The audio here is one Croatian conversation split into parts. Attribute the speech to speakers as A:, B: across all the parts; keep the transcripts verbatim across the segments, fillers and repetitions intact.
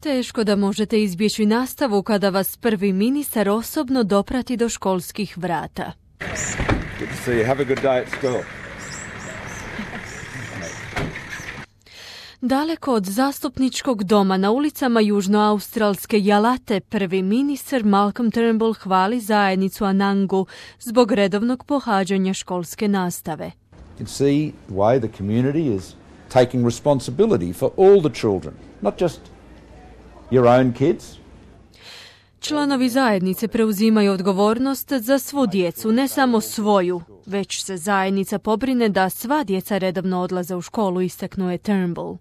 A: Teško da možete izbjeći nastavu kada vas prvi ministar osobno doprati do školskih vrata.
B: Good to see you. Have a good day at school.
A: Daleko od zastupničkog doma na ulicama južnoaustralske Jalate, prvi ministar Malcolm Turnbull hvali zajednicu Anangu zbog redovnog pohađanja školske nastave.
B: You can see the way the community is taking responsibility for all the children, not just your own kids.
A: Članovi zajednice preuzimaju odgovornost za svu djecu, ne samo svoju, već se zajednica pobrine da sva djeca redovno odlaze u školu, istaknuo je Turnbull.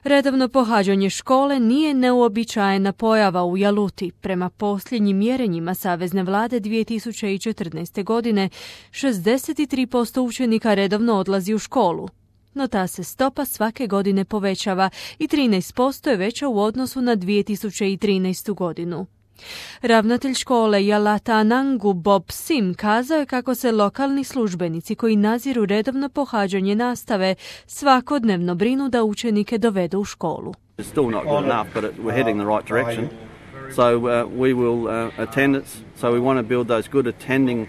A: Redovno pohađanje škole nije neuobičajena pojava u Jaluti. Prema posljednjim mjerenjima Savezne vlade dvije tisuće četrnaeste. godine šezdeset tri posto učenika redovno odlazi u školu. No ta se stopa svake godine povećava i trinaest posto je veća u odnosu na dvije tisuće trinaestu. godinu. Ravnatelj škole Jalata Anangu Bob Sim kazao je kako se lokalni službenici koji nadziru redovno pohađanje nastave svakodnevno brinu da učenike dovedu u školu.
C: It's still not good enough, but it, we're heading the right direction. So uh, we will uh, attendance. So we want to build those good attending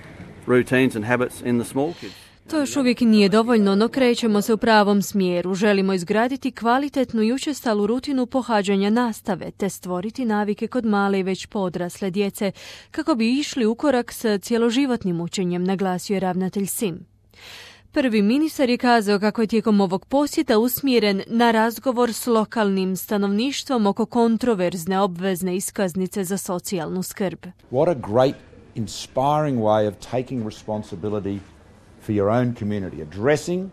C: routines and habits in the small kids.
A: To još uvijek nije dovoljno, no krećemo se u pravom smjeru. Želimo izgraditi kvalitetnu i učestalu rutinu pohađanja nastave, te stvoriti navike kod male i već podrasle djece, kako bi išli u korak s cjeloživotnim učenjem, naglasio je ravnatelj Sim. Prvi ministar je kazao kako je tijekom ovog posjeta usmjeren na razgovor s lokalnim stanovništvom oko kontroverzne obvezne iskaznice za socijalnu skrb.
B: What a great, inspiring way of taking responsibility for your own community, addressing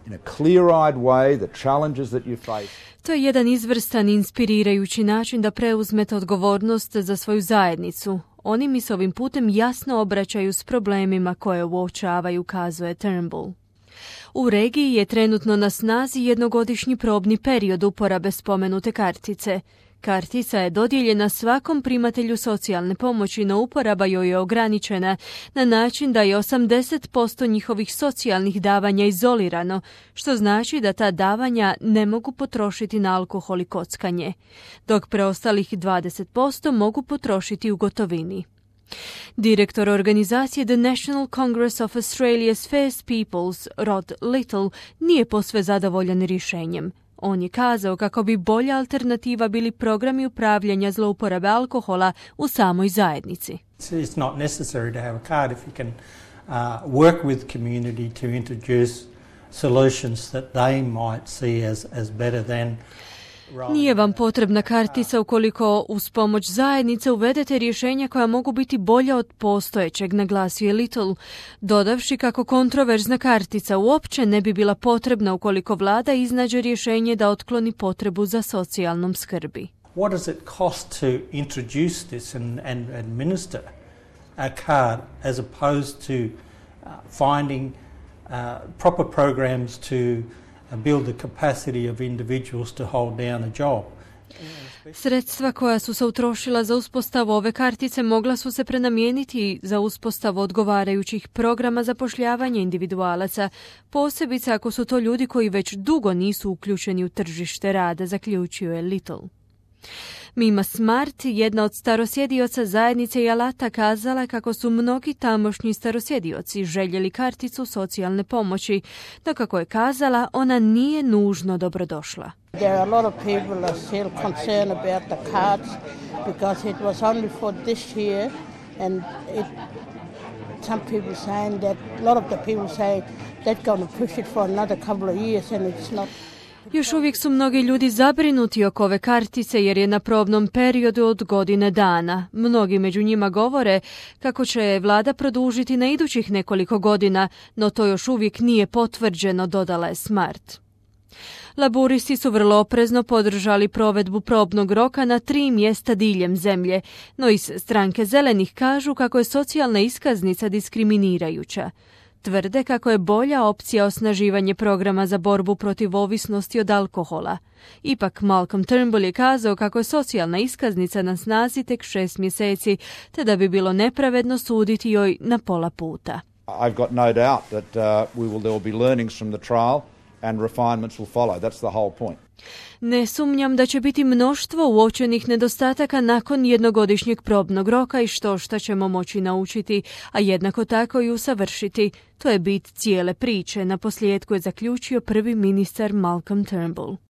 B: in a clear-eyed way the challenges that you face.
A: To je jedan izvrstan, inspirirajući način da preuzmete odgovornost za svoju zajednicu. Oni mi se ovim putem jasno obraćaju s problemima koje uočavaju, kazuje Turnbull. U regiji je trenutno na snazi jednogodišnji probni period uporabe spomenute kartice. Kartica je dodijeljena svakom primatelju socijalne pomoći, no uporaba joj je ograničena na način da je osamdeset posto njihovih socijalnih davanja izolirano, što znači da ta davanja ne mogu potrošiti na alkohol i kockanje, dok preostalih dvadeset posto mogu potrošiti u gotovini. Direktor organizacije The National Congress of Australia's First Peoples, Rod Little, nije posve zadovoljan rješenjem. On je kazao kako bi bolja alternativa bili programi upravljanja zlouporabe alkohola u samoj zajednici.
D: It's not necessary to have a card if you can uh, work with community to introduce solutions that they might see as, as better than.
A: Nije vam potrebna kartica ukoliko uz pomoć zajednice uvedete rješenja koja mogu biti bolja od postojećeg, naglasio je Little, dodavši kako kontroverzna kartica uopće ne bi bila potrebna ukoliko vlada iznađe rješenje da otkloni potrebu za socijalnom skrbi.
D: What does it cost to introduce this and, and administer a card as opposed to uh, finding uh, proper programs to build the capacity of individuals to hold down a job.
A: Sredstva koja su se utrošila za uspostavu ove kartice mogla su se prenamijeniti za uspostavu odgovarajućih programa zapošljavanja individualaca, posebice ako su to ljudi koji već dugo nisu uključeni u tržište rada, zaključio je Little. Mima Smart, jedna od starosjedioca zajednice Jalata, kazala kako su mnogi tamošnji starosjedioci željeli karticu socijalne pomoći, no kako je kazala, ona nije nužno dobrodošla.
E: There are a lot of people are still concerned about the cards because it was only for this year and it, some people saying that a lot of the people say they're going to push it for another couple of years and it's not.
A: Još uvijek su mnogi ljudi zabrinuti oko ove kartice jer je na probnom periodu od godine dana. Mnogi među njima govore kako će vlada produžiti na idućih nekoliko godina, no to još uvijek nije potvrđeno, dodala je Smart. Laburisti su vrlo oprezno podržali provedbu probnog roka na tri mjesta diljem zemlje, no iz stranke zelenih kažu kako je socijalna iskaznica diskriminirajuća. Tvrde kako je bolja opcija osnaživanje programa za borbu protiv ovisnosti od alkohola. Ipak Malcolm Turnbull je kazao kako je socijalna iskaznica na snazi tek šest mjeseci, te da bi bilo nepravedno suditi joj na pola puta.
B: I've got no doubt that uh, we will, there will be learnings from the trial and refinements will follow. That's the whole point.
A: Ne sumnjam da će biti mnoštvo uočenih nedostataka nakon jednogodišnjeg probnog roka i što šta ćemo moći naučiti, a jednako tako i usavršiti. To je bit cijele priče, na posljedku je zaključio prvi ministar Malcolm Turnbull.